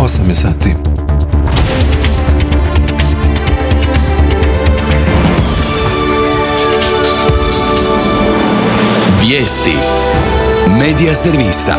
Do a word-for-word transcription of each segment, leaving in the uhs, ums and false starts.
osam je sati. Vijesti Medija servisa.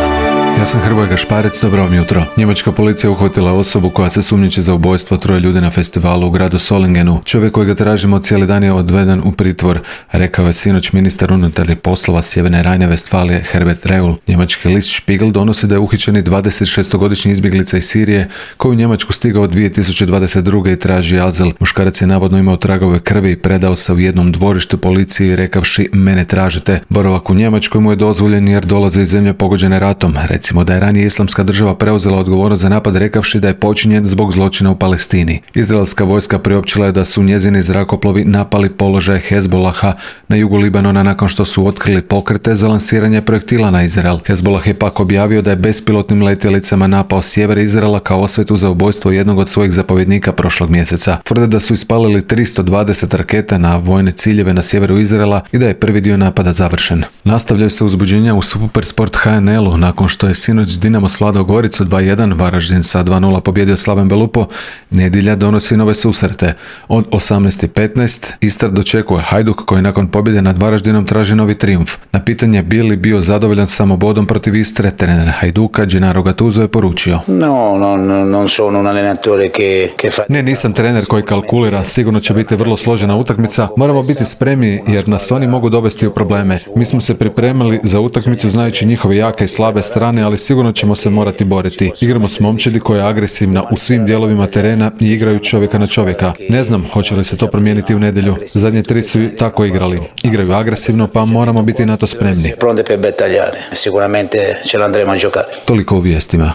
Ja sam Hrvoje Gašparec, dobro vam jutro. Njemačka policija uhvatila osobu koja se sumnjiči za ubojstvo troje ljudi na festivalu u gradu Solingenu. Čovjek kojega tražimo cijeli dan je odveden u pritvor, rekao je sinoć ministar unutarnjih poslova Sjeverne Rajne-Vestfalije Herbert Reul. Njemački list Spiegel donosi da je uhićeni dvadesetšestogodišnji izbjeglica iz Sirije koji u Njemačku stigao dvije tisuće dvadeset druge i traži azil. Muškarac je navodno imao tragove krvi i predao se u jednom dvorištu policiji rekavši mene tražite. Boravak u Njemačkoj mu je dozvoljen jer dolaze iz zemlje pogođene ratom. Recimo da je ranije Islamska država preuzela odgovornost za napad rekavši da je počinjen zbog zločina u Palestini. Izraelska vojska priopćila je da su njezini zrakoplovi napali položaje Hezbolaha na jugu Libanona nakon što su otkrili pokrete za lansiranje projektila na Izrael. Hezbolah je pak objavio da je bespilotnim letjelicama napao sjever Izraela kao osvetu za ubojstvo jednog od svojih zapovjednika prošlog mjeseca. Tvrde da su ispalili tristo dvadeset raketa na vojne ciljeve na sjeveru Izraela i da je prvi dio napada završen. Nastavljaju se uzbuđenja u Supersport H N L-u nakon što je sinoć Dinamo svladao Goricu dva jedan, Varaždin sa dva nula pobjedio Slaven Belupo. Nedjelja donosi nove susrete. Od osamnaest i petnaest Istar dočekuje Hajduk koji nakon pobjede nad Varaždinom traži novi trijumf. Na pitanje bi li bio zadovoljan samo bodom protiv Istre, trener Hajduka Gennaro Gattuso je poručio: No, no, no, non sono un allenatore che, che fa... Ne, nisam trener koji kalkulira, sigurno će biti vrlo složena utakmica. Moramo biti spremni jer nas oni mogu dovesti u probleme. Mi smo se pripremili za utakmicu znajući njihove jake i slabe strane, ali sigurno ćemo se morati boriti. Igramo s momčadi koja je agresivna u svim dijelovima terena i igraju čovjeka na čovjeka. Ne znam hoće li se to promijeniti u nedjelju. Zadnje tri su tako igrali. Igraju agresivno pa moramo biti na to spremni. Pronte per battagliare. Sicuramente ce l'andremo a giocare. Toliko u vijestima.